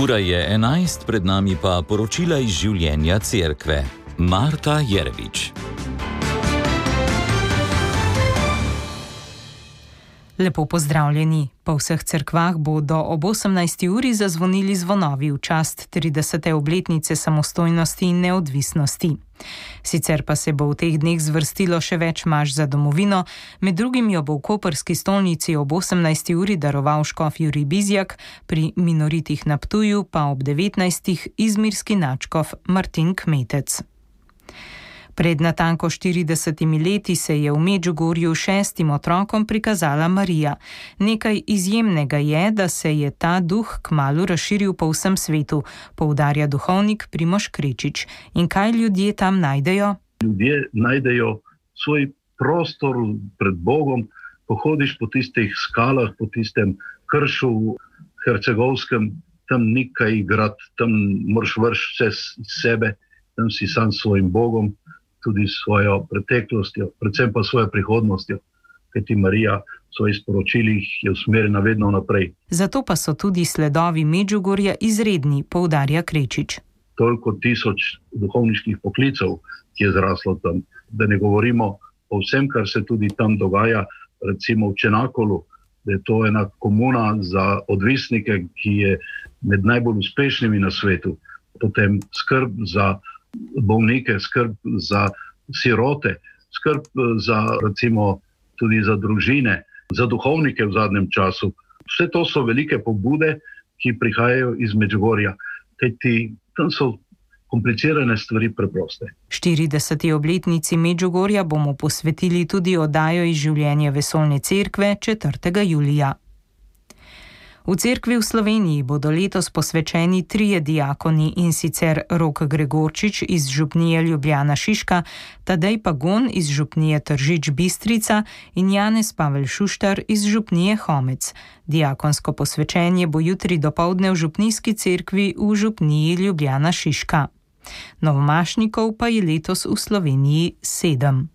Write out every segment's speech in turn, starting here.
Ura je 11, pred nami pa poročila iz življenja cerkve. Marta Jerevič. Lepo pozdravljeni. Po vseh cerkvah bodo ob 18. uri zazvonili zvonovi v čast 30. obletnice samostojnosti in neodvisnosti. Sicer pa se bo v teh dneh zvrstilo še več maš za domovino, med drugim jo bo v koprski stolnici ob 18. uri daroval škof Jurij Bizjak, pri minoritih na Ptuju pa ob 19. izmirski nadškof Martin Kmetec. Pred natanko 40 leti se je v Medžugorju 6 otrokom prikazala Marija. Nekaj izjemnega je, da se je ta duh kmalu razširil po vsem svetu, poudarja duhovnik Primož Krečič. In kaj ljudje tam najdejo? Ljudje najdejo svoj prostor pred Bogom, pohodiš po tistih skalah, po tistem kršu hercegovskem, tam ni kaj igrati, tam moraš vršiti vse iz sebe, tam si sam s svojim Bogom, tudi svojo preteklostjo, predvsem pa svojo prihodnostjo, kajti Marija v svojih sporočilih je usmerjena vedno naprej. Zato pa so tudi sledovi Medžugorja izredni, poudarja Krečič. Toliko tisoč duhovniških poklicev, ki je zraslo tam, da ne govorimo o vsem, kar se tudi tam dogaja, recimo v Čenakolu, da je to ena komuna za odvisnike, ki je med najbolj uspešnimi na svetu. Potem skrb za bolnike, skrb za sirote, skrb za recimo tudi za družine, za duhovnike v zadnjem času. Vse to so velike pobude, ki prihajajo iz Medžugorja, kajti tam so komplicirane stvari preproste. 40. obletnici Medžugorja bomo posvetili tudi oddajo iz življenja Vesoljne cerkve 4. julija. V cerkvi v Sloveniji bodo letos posvečeni 3 diakoni, in sicer Rok Gregorčič iz župnije Ljubljana Šiška, Tadej Pagon iz župnije Tržič Bistrica in Janez Pavel Šuštar iz župnije Homec. Diakonsko posvečenje bo jutri dopoldne v župnijski cerkvi v župniji Ljubljana Šiška. Novomašnikov pa je letos v Sloveniji 7.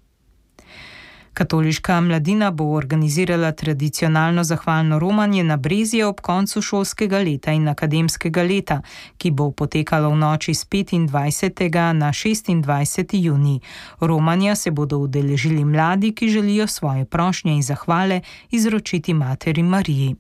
Katoliška mladina bo organizirala tradicionalno zahvalno romanje na Brezje ob koncu šolskega leta in akademskega leta, ki bo potekalo v noči z 25. na 26. junij. Romanja se bodo udeležili mladi, ki želijo svoje prošnje in zahvale izročiti Materi Mariji.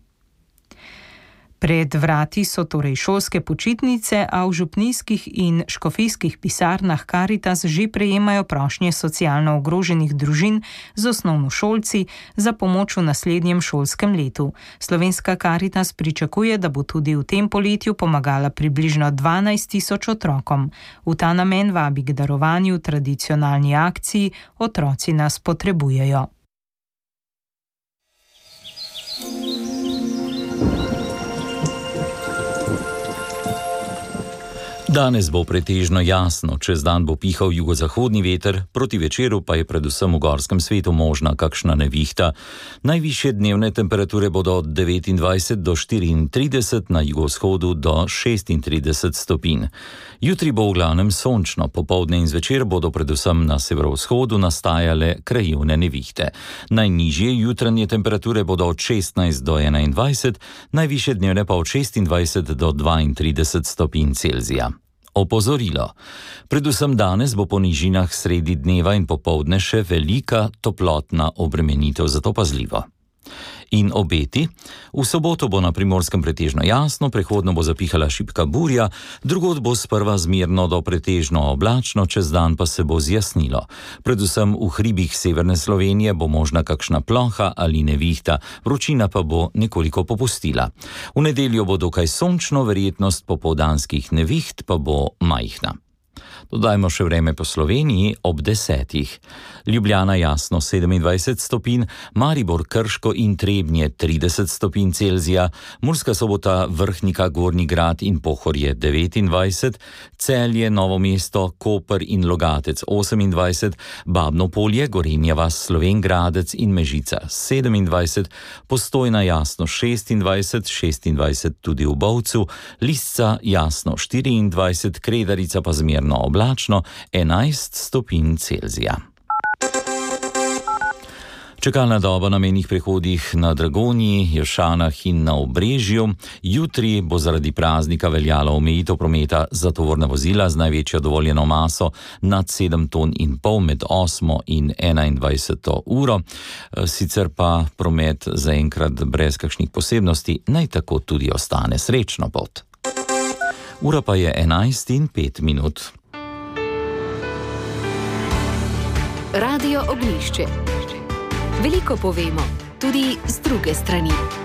Pred vrati so torej šolske počitnice, a v župnijskih in škofijskih pisarnah Karitas že prejemajo prošnje socialno ogroženih družin z osnovnošolci za pomoč v naslednjem šolskem letu. Slovenska Karitas pričakuje, da bo tudi v tem poletju pomagala približno 12.000 otrokom. V ta namen vabi k darovanju tradicionalni akciji Otroci nas potrebujejo. Danes bo pretežno jasno, čez dan bo pihal jugozahodni veter, proti večeru pa je predvsem v gorskem svetu možna kakšna nevihta. Najvišje dnevne temperature bodo od 29 do 34, na jugovzhodu do 36 stopinj. Jutri bo v glavnem sončno, popoldne in zvečer bodo predvsem na severovzhodu nastajale krajevne nevihte. Najnižje jutranje temperature bodo od 16 do 21, najvišje dnevne pa od 26 do 32 stopinj Celzija. Opozorilo. Predvsem danes bo po nižinah sredi dneva in popoldne še velika toplotna obremenitev, zato pazljivo. In obeti. V soboto bo na Primorskem pretežno jasno, prehodno bo zapihala šibka burja, drugod bo sprva zmerno do pretežno oblačno, čez dan pa se bo zjasnilo. Predvsem v hribih severne Slovenije bo možna kakšna ploha ali nevihta, vročina pa bo nekoliko popustila. V nedeljo bo dokaj sončno, verjetnost popoldanskih neviht pa bo majhna. Dodajmo še vreme po Sloveniji ob 10. Ljubljana jasno 27 stopinj, Maribor, Krško in Trebnje 30 stopinj Celzija, Murska Sobota, Vrhnika, Gornji Grad in Pohorje 29, Celje, Novo mesto, Koper in Logatec 28, Babno Polje, Gorenja vas, Slovenj Gradec in Mežica 27, Postojna jasno 26 tudi v Bovcu, Lisca jasno 24, Kredarica pa zmerno oblačno 11 stopinj Celzija. Čakalna doba na mejnih prehodih na Dragonji, Jelšanah in na Obrežju. Jutri bo zaradi praznika veljala omejitev prometa za tovorna vozila z največjo dovoljeno maso nad 7,5 ton med 8 in 21 uro. Sicer pa promet zaenkrat brez kakšnih posebnosti naj tako tudi ostane. Srečno pot. Ura pa je 11:05. Radio Ognjišče. Veliko povemo, tudi z druge strani.